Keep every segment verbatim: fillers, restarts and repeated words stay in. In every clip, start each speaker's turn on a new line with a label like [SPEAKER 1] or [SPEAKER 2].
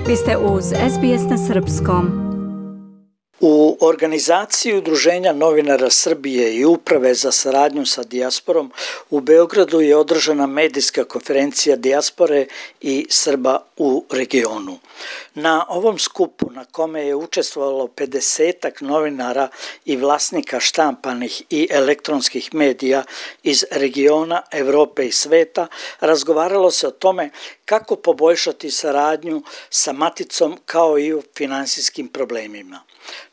[SPEAKER 1] Vi ste uz S B S na srpskom.
[SPEAKER 2] U organizaciji Udruženja novinara Srbije i Uprave za saradnju sa dijasporom u Beogradu je održana medijska konferencija dijaspore i Srba u regionu. Na ovom skupu, na kome je učestvovalo pedesetak novinara i vlasnika štampanih i elektronskih medija iz regiona, Evrope i sveta, razgovaralo se o tome kako poboljšati saradnju sa maticom kao i o finansijskim problemima.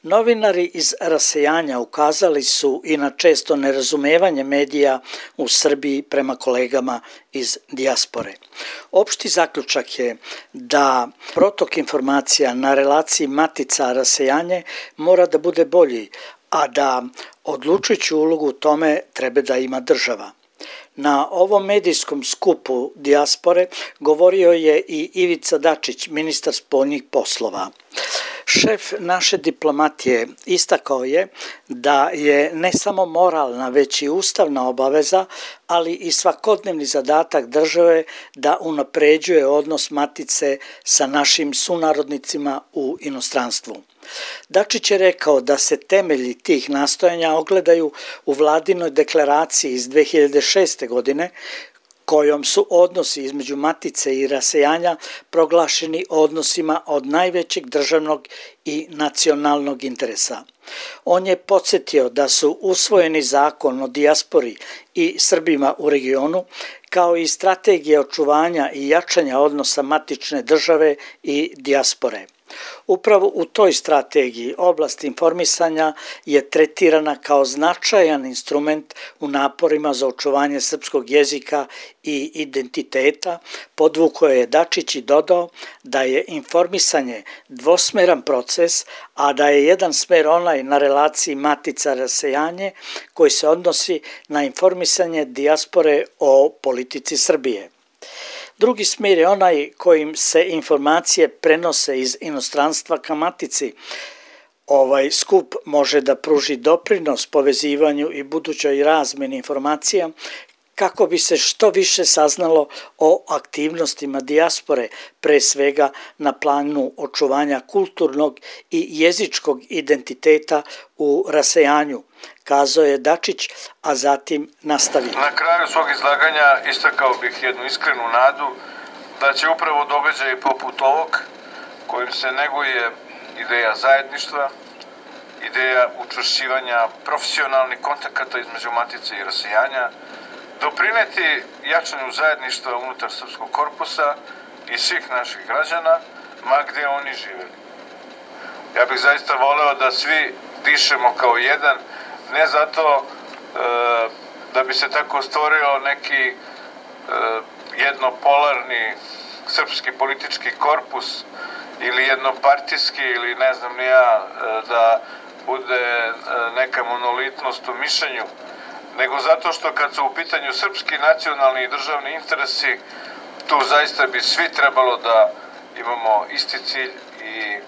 [SPEAKER 2] Novinari iz rasejanja ukazali su i na često nerazumevanje medija u Srbiji prema kolegama iz dijaspore. Opšti zaključak je da protok informacija na relaciji matica-rasejanje mora da bude bolji, a da odlučujuću ulogu u tome treba da ima država. Na ovom medijskom skupu dijaspore govorio je i Ivica Dačić, ministar spoljnih poslova. Šef naše diplomatije istakao je da je ne samo moralna, već i ustavna obaveza, ali i svakodnevni zadatak države da unapređuje odnos matice sa našim sunarodnicima u inostranstvu. Dačić je rekao da se temelji tih nastojanja ogledaju u vladinoj deklaraciji iz dve hiljade šeste. godine, kojom su odnosi između matice i rasejanja proglašeni odnosima od najvećeg državnog i nacionalnog interesa. On je podsjetio da su usvojeni zakon o dijaspori i Srbima u regionu, kao i strategija očuvanja i jačanja odnosa matične države i dijaspore. Upravo u toj strategiji oblast informisanja je tretirana kao značajan instrument u naporima za očuvanje srpskog jezika i identiteta, podvukao je Dačić i dodao da je informisanje dvosmeran proces, a da je jedan smer onaj na relaciji matica-rasejanje koji se odnosi na informisanje dijaspore o politici Srbije. Drugi smjer je onaj kojim se informacije prenose iz inostranstva ka matici. Ovaj skup može da pruži doprinos povezivanju i budućoj razmeni informacija kako bi se što više saznalo o aktivnostima dijaspore, pre svega na planu očuvanja kulturnog i jezičkog identiteta u rasejanju, kazao je Dačić, a zatim nastavio.
[SPEAKER 3] Na kraju svog izlaganja istakao bih jednu iskrenu nadu da će upravo događaj poput ovog, kojim se neguje ideja zajedništva, ideja učvršćivanja profesionalnih kontakata između matice i rasejanja, doprineti jačanju zajedništva unutar srpskog korpusa i svih naših građana, ma gde oni živeli. Ja bih zaista voleo da svi dišemo kao jedan, ne zato e, da bi se tako stvorio neki e, jednopolarni srpski politički korpus ili jednopartijski ili ne znam ni ja e, da bude e, neka monolitnost u mišljenju, nego zato što kad su u pitanju srpski nacionalni i državni interesi, tu zaista bi svi trebalo da imamo isti cilj i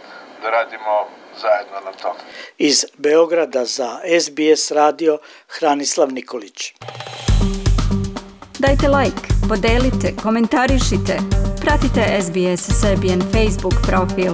[SPEAKER 3] da radimo zajedno na tom.
[SPEAKER 2] Iz Beograda za S B S radio Hranislav Nikolić.
[SPEAKER 1] Dajte like, podelite, komentarišite, pratite S B S Serbian Facebook profil.